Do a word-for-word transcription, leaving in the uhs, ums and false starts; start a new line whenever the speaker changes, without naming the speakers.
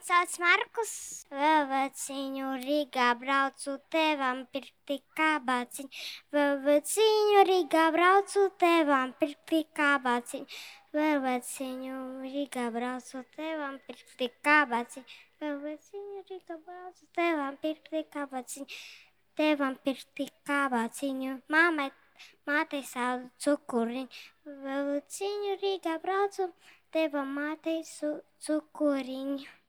sauc Markus. Vēveciņu Rīgā braucu tevam pirkti kabāciņu. Vēveciņu Rīgā braucu tevam pirkti kabāciņu. Vēveciņu Rīgā braucu tevam pirkti kabāciņu. Vēveciņu Rīgā braucu tevam pirkti kabāciņu. Tevam pirkti kabāciņu. Māmai, mātei sauc cukuriņu. Vēveciņu Rīgā braucu tevam mātei su cukuriņu.